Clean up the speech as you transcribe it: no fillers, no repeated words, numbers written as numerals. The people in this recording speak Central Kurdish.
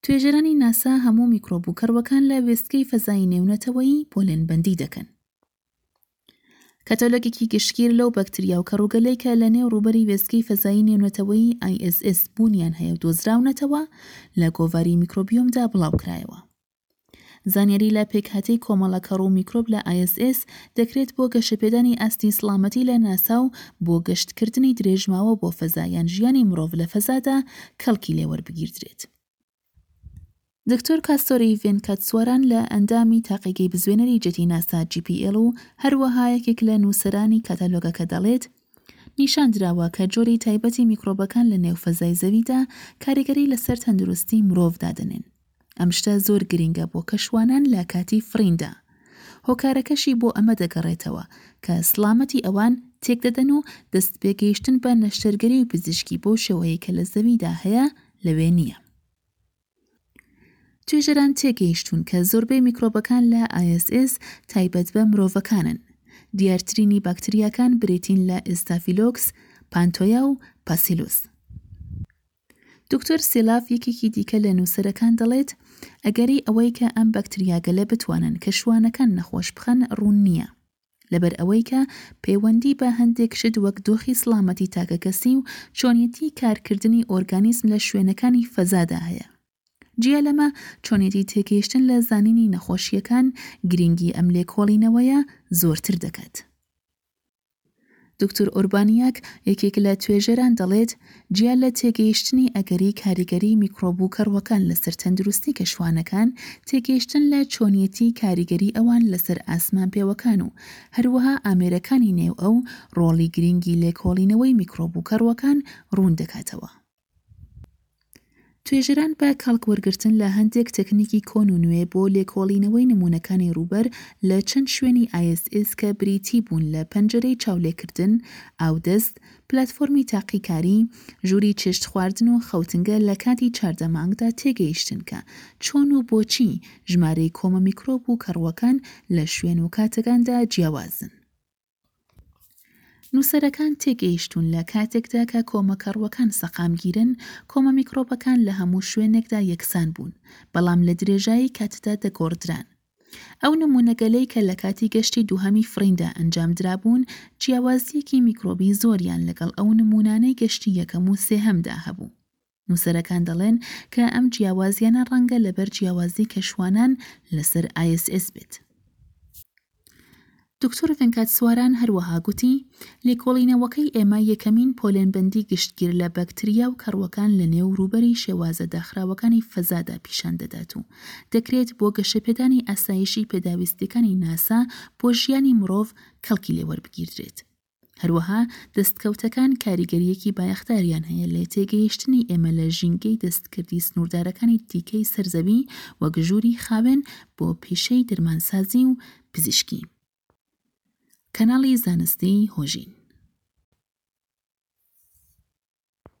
توێژەرانی ناسا هەموو میکرۆب و کەڕووەکان لە وێستگەی فەزایی نێونەتەوەیی پۆلێنبەندی دەکەن. کەتەلۆگێکی گشتگیر لەو بەکتریا و کەڕووگەلەی کە لە نێو ڕووبەری وێستگەی فەزایی نێونەتەوەیی ISS بوونیان هەیە و دۆزراونەتەوە، لە گۆڤاری میکرۆبیۆمدا بڵاوکرایەوە. زانیاری لە پێکهاتەی کۆمەڵە کەڕ و میکرۆب لە ISS دەکرێت بۆ گەشەپێدانی ئاستی سڵامەتی لە ناسا و بۆ گەشتکردنی درێژماوە بۆ فەزا یان ژیانی مرۆڤ لە فەزادا کەڵکی لێوەربگیردرێت. دکتۆر کاستۆری ڤێنکاتسواران لە ئەندامی تاقیگەی بزوێنەری جێتی ناسا JPL و هەروەها یەکێک لە نووسەرانی کاتالۆگەکە دەڵێت، نیشان دراوە کە جۆری تایبەتی میکرۆبەکان لە نێو فەزای زەویدا کاریگەری لەسەر تەندروستی مرۆڤ دادەنێن. ئەم شتە زۆر گرینگە بۆ کەشوانان لە کاتی فڕیندا. هۆکارەکەشی بۆ ئەمە دەگەڕێتەوە کە سڵامەتی ئەوان تێکدەدەن و دەستپێگەیشتن بە نەشتەرگەری و پزیشکی بەو شێوەیەی کە لە زەویدا هەیە لەوێ نییە. توێژەران تێگەیشتوون کە زۆربەی میکرۆبەکان لە ISS تایبەت بە مرۆڤەکانن. دیارترینی باکتریاکان بریتین لە ئێستافیلۆکس، پانتۆیا و پاسیلوس. دکتۆر سیلاف یەکێکی دیکە لە نووسەرەکان دەڵێت، ئەگەری ئەوەی کە ئەم بەکتریاگەلە بتوانن کە شوانەکان نەخۆش بخەن ڕوون نییە. لەبەر ئەوەی کە پەیوەندی بە هەندێک شت وەک دۆخی سڵامەتی تاکەکەسی و چۆنیەتی کارکردنی ئۆرگانیزم لە شوێنەکانی فەزادا هەیە. جیا لەمە چۆنیەتی تێگەیشتن لە زانینی نەخۆشییەکان گرینگی ئەم لێکۆڵینەوەیە زۆرتر دەکات. دکتۆر ئۆربانیاک، یەکێک لە توێژەران دەڵێت، جیا لە تێگەیشتنی ئەگەری کاریگەریی میکرۆب و کەڕووەکان لەسەر تەندروستی کەشوانەکان، تێگەیشتن لە چۆنیەتیی کاریگەری ئەوان لەسەر ئاسمانپێوەکان و هەروەها ئامێرەکانی نێو ئەو ڕۆڵی گرینگی لێکۆڵینەوەی میکرۆب و کەڕووەکان ڕوون دەکاتەوە. توێژەران بە کەڵک وەرگرتن لە هەندێک تەکنیکی کۆن و نوێ بۆ لێکۆڵینەوەی نموونەکانی ڕووبەر لە چەند شوێنی ISS کە بریتی بوون لە پەنجەرەی چاولێکردن، ئاودەست، پلاتفۆرمی تاقیکاری، ژووری چێشتخواردن و خەوتنگە لە کاتی 14 مانگدا تێگەیشتن کە چۆن و بۆچی ژمارەی کۆمە میکرۆب و کەڕووەکان لە شوێن و کاتەکاندا جیاوازن. نووسەرەکان تێگەیشتوون لە کاتێکدا کە کۆمە کەڕووەکان سەقامگیرن، کۆمە میکرۆبەکان لە هەموو شوێنێکدا یەکسان بوون، بەڵام لە درێژایی کاتدا دەگۆڕدران. ئەو نموونەگەلەی کە لە کاتی گەشتی دووهەمی فڕیندا ئەنجامدرابوون، جیاوازییەکی میکرۆبی زۆریان لەگەڵ ئەو نموونانەی گەشتی یەکەم و سێهەمدا هەبوو. نووسەرەکان دەڵێن کە ئەم جیاوازییانە ڕەنگە لەبەر جیاوازی کەشوانان لەسەر ISS بێت. دکتۆر ڤێنکاتسواران هەروەها گوتی، لێکۆڵینەوەکەی ئێمە یەکەمین پۆلێنبەندی گشتگیر لە بەکتریا و کەڕووەکان لە نێو ڕووبەری شێوازە داخراوەکانی فەزادا پیشان دەدات و دەکرێت بۆ گەشەپێدانی ئاسایشی پێداویستییەکانی ناسا بۆ ژیانی مڕۆڤ کەڵکی لێ وەربگیردرێت. هەروەها دەستکەوتەکان کاریگەرییەکی بایەخداریان هەیە لە تێگەیشتنی ئێمە لە ژینگەی دەستکردی سنووردارەکانی دیکەی سەر زەوی وەک ژووری خاوێن بۆ پیشەی دەرمانسازی و پزیشکی. کەناڵی زانستی هۆژین.